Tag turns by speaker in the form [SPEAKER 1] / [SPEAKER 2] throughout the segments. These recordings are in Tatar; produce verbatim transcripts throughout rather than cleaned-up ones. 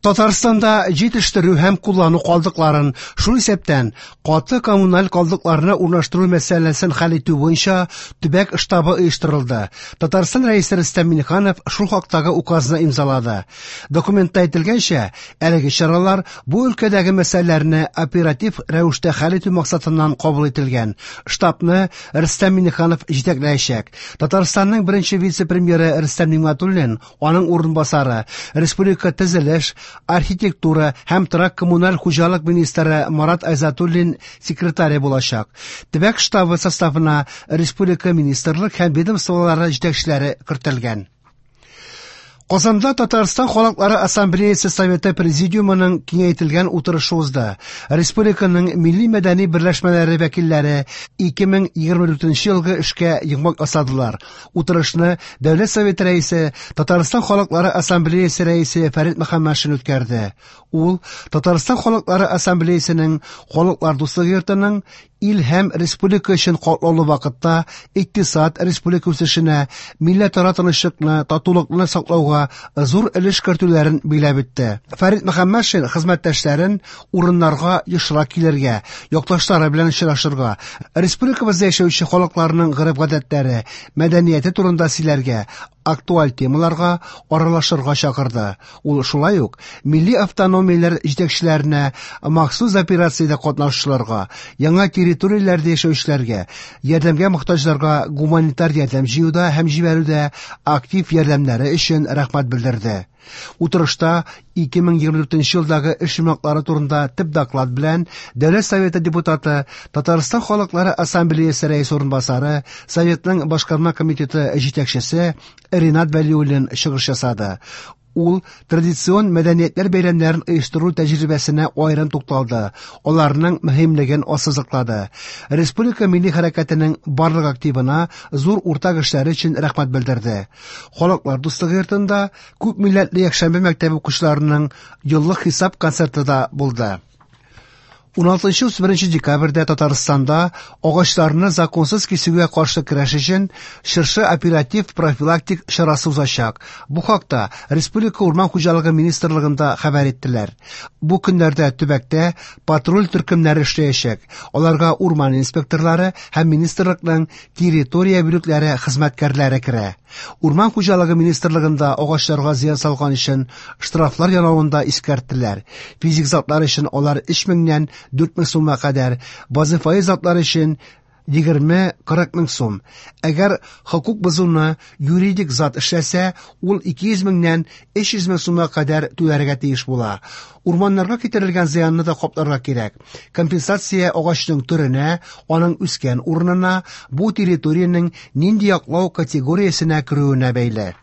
[SPEAKER 1] Татарстанда җитештерү һәм куллану калдыкларын, шул исәптән каты коммуналь калдыкларны урнаштыру мәсьәләсен хәл итү буенча төбәк штабы оештырылды. Татарстан Рәисе Рөстәм Миңнеханов шул хактагы указны имзалады. Документта әйтелгәнчә, әлеге чаралар бу өлкәдәге мәсьәләләрне оператив рәвештә хәл итү максатыннан кабул ителгән. Штабны Рөстәм Миңнеханов җитәкләячәк. Татарстанның беренче вице-премьеры Рөстәм Нигъмәтуллин, аның урынбасары, республика төзелеш, архитектура һәм торак-коммуналь хуҗалык министры Марат Айзатуллин секретаре булачак. Төбәк штабы составына республика министрлык һәм ведомстволары җитәкчеләре кертелгән. Казанда Татарстан Халыклары Ассамблеясы Советы Президиумының киңәйтелгән утырышы узды. Республиканың милли мәдәни берләшмәләре вәкилләре ике мең егерме дүртенче елгы эшкә йомгак ясадылар. Утырышны Дәүләт Советы рәисе, Татарстан Халыклары Ассамблеясы рәисе Фәрит Мөхәммәтшин үткәрде. Ул Татарстан Халыклары Ассамблеясының Халыклар дуслыгы йортының ил һәм республика өчен катлаулы вакытта икътисад, республика үсешенә, милләтара тынычлыкны, татулыкны саклауга зур өлеш кертүләрен биләп үтте. Фәрит Мөхәммәтшин хезмәттәшләрен урыннарга ешрак килергә, якташлары белән очрашырга, республикабызда яшәүче халыкларның гореф-гадәтләре, мәдәнияте турында сөйләргә, актуаль темаларга аралашырга чакырды. Ул шулай ук милли автономияләр җитәкчеләренә, махсус операциядә катнашучыларга, яңа территорияләрдә яшәүчеләргә, ярдәмгә мохтаҗларга гуманитар ярдәм җыюда һәм җибәрүдә актив ярдәмнәре өчен рәхмәт белдерде. Утырышта ике мең егерме дүртенче елдагы эш йомгаклары турында төп доклад белән Дәүләт Советы депутаты, Татарстан Халыклары Ассамблеясы рәисе урынбасары, Советның башкарма комитеты җитәкчесе Ринат Вәлиуллин чыгыш ясады. Ул традицион мәдәниятләр бәйрәмнәрен оештыру тәҗрибәсенә аерым тукталды, аларның мөһимлеген ассызыклады. Республика милли хәрәкәтенең барлык активына зур уртак эшләре өчен рәхмәт белдерде. Халыклар дуслыгы йортында күп милләтле якшәмбе мәктәбе укучыларының еллык хисап концерты да булды. Уналтынчы утыз беренче декабрьдә Татарстанда агачларны законсыз кисүгә каршы көрәш өчен Чыршы оператив профилактик чарасы узачак. Бу хакта Республика Урман хуҗалыгы министрлыгында хәбәр иттеләр. Бу көннәрдә төбәктә патруль төркемнәре эшләячәк. Аларга урман инспекторлары һәм министрлыкның территория бүлекләре хезмәткәрләре керә. Урман хуҗалыгы министрлыгында агачларга зыян салган өчен штрафлар янавын да искәрттеләр. Физик затлар өчен алар өч меңнән дүрт мең сумга кадәр, вазифаи затлар өчен егерме кырык мең сум. Әгәр хокук бозуны юридик зат эшләсә, ул ике йөз меңнән өч йөз мең сумга кадәр түләргә тиеш була. Урманнарга китерелгән зыянны да капларга кирәк. Компенсация агачның төренә, аның үскән урынына, бу территориянең нинди яклау категориясенә керүенә бәйле.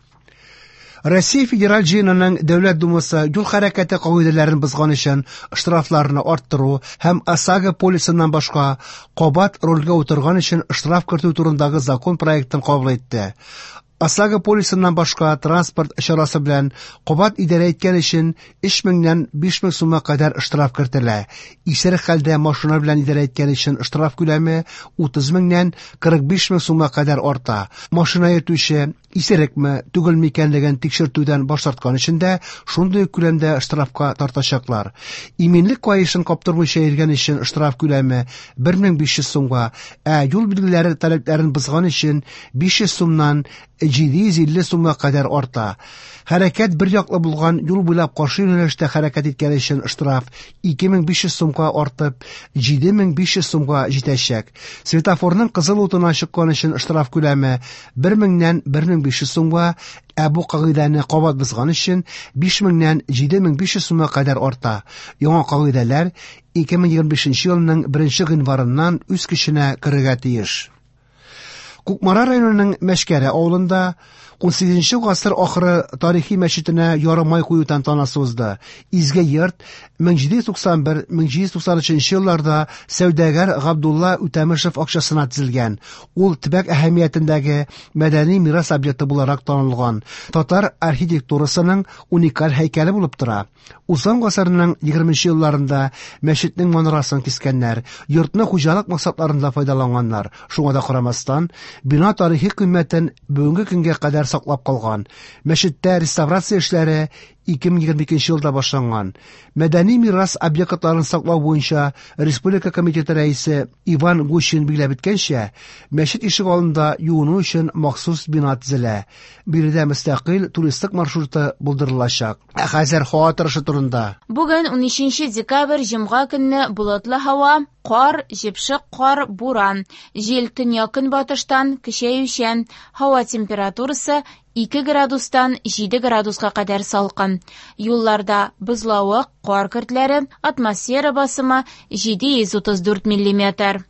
[SPEAKER 1] Россия Федераль Җыенының Дәүләт Думасы юл хәрәкәте кагыйдәләрен бозган өчен штрафларны арттыру һәм ОСАГО полисыннан башка кабат рульгә утырган өчен штраф кертү турындагы закон проектын кабул итте. ОСАГО полисыннан башка транспорт чарасы белән кабат идарә иткән өчен өч меңнән биш мең сумга кадәр штраф кертелә. Исерек хәлдә машина белән идарә иткән өчен штраф күләме утыз меңнән кырык биш мең сумга кадәр арта. Машина йөртүче исерекме, түгелме икәнлеген тикшертүдән баш тарткан өчен дә шундый күләмдә штрафка тартачаклар. Иминлек каешын каптырмыйча йөргән өчен штраф күләме бер мең биш йөз сумга, ә юл билгеләре таләпләрен бозган өчен биш йөз сумнан җиде йөз илле сумга кадәр арта. Хәрәкәт бер яклы булган юл буйлап каршы юнәлештә хәрәкәт иткән өчен штраф ике мең биш йөз сумга артып җиде мең биш йөз сумга җитәчәк. Светофорның кызыл утына чыккан өчен штраф күләме бер меңнән бер мең биш йөз сумга, ә бу кагыйдәне кабат бозган өчен биш меңнән җиде мең биш йөз сумга кадәр арта. Яңа кагыйдәләр ике мең егерме бишенче елның беренче гыйнварыннан үз көченә керергә тиеш. Кукмара районының Мәшкәре авылында ун сигезенче гасыр ахыры тарихи мәчетенә ярымай кую тантанасы узды. Изге йорт мең җиде йөз туксан бер, мең җиде йөз туксан өченче елларда сәүдәгәр Габдулла Үтәмешев акчасына төзелгән. Ул төбәк әһәмиятендәге мәдәни мирас объекты буларак танылган. Татар архитектурасының уникаль һәйкәле булып тора. Узган гасырның егерменче елларында мәчетнең манарасын кискәннәр, йортны хуҗалык максатларында файдаланганнар. Шуңа да карамастан, бина тарихи кыйммәтен бүгенге көнгә кадәр саклап калган. Мәчеттә реставрация эшләре ике мең егерме икенче елда башланган. Мәдәни мирас объектларын саклау буенча республика комитеты рәисе Иван Гущин билгеләп үткәнчә, мәчет ишек алдында юыну өчен махсус бина төзелә. Биредә мөстәкыйль туристлык маршруты булдырылачак. Ә хәзер һава торышы турында.
[SPEAKER 2] Бүген унөченче декабрь, җомга көнне болытлы һава, кар, җепшек кар, буран. Җил төньяк-көнбатыштан көчәючән. Һава температурасы ике градустан җиде градуска кадәр салкын. Юлларда бозлавык, кар көртләре, атмосфера басымы җиде йөз утыз дүрт миллиметр.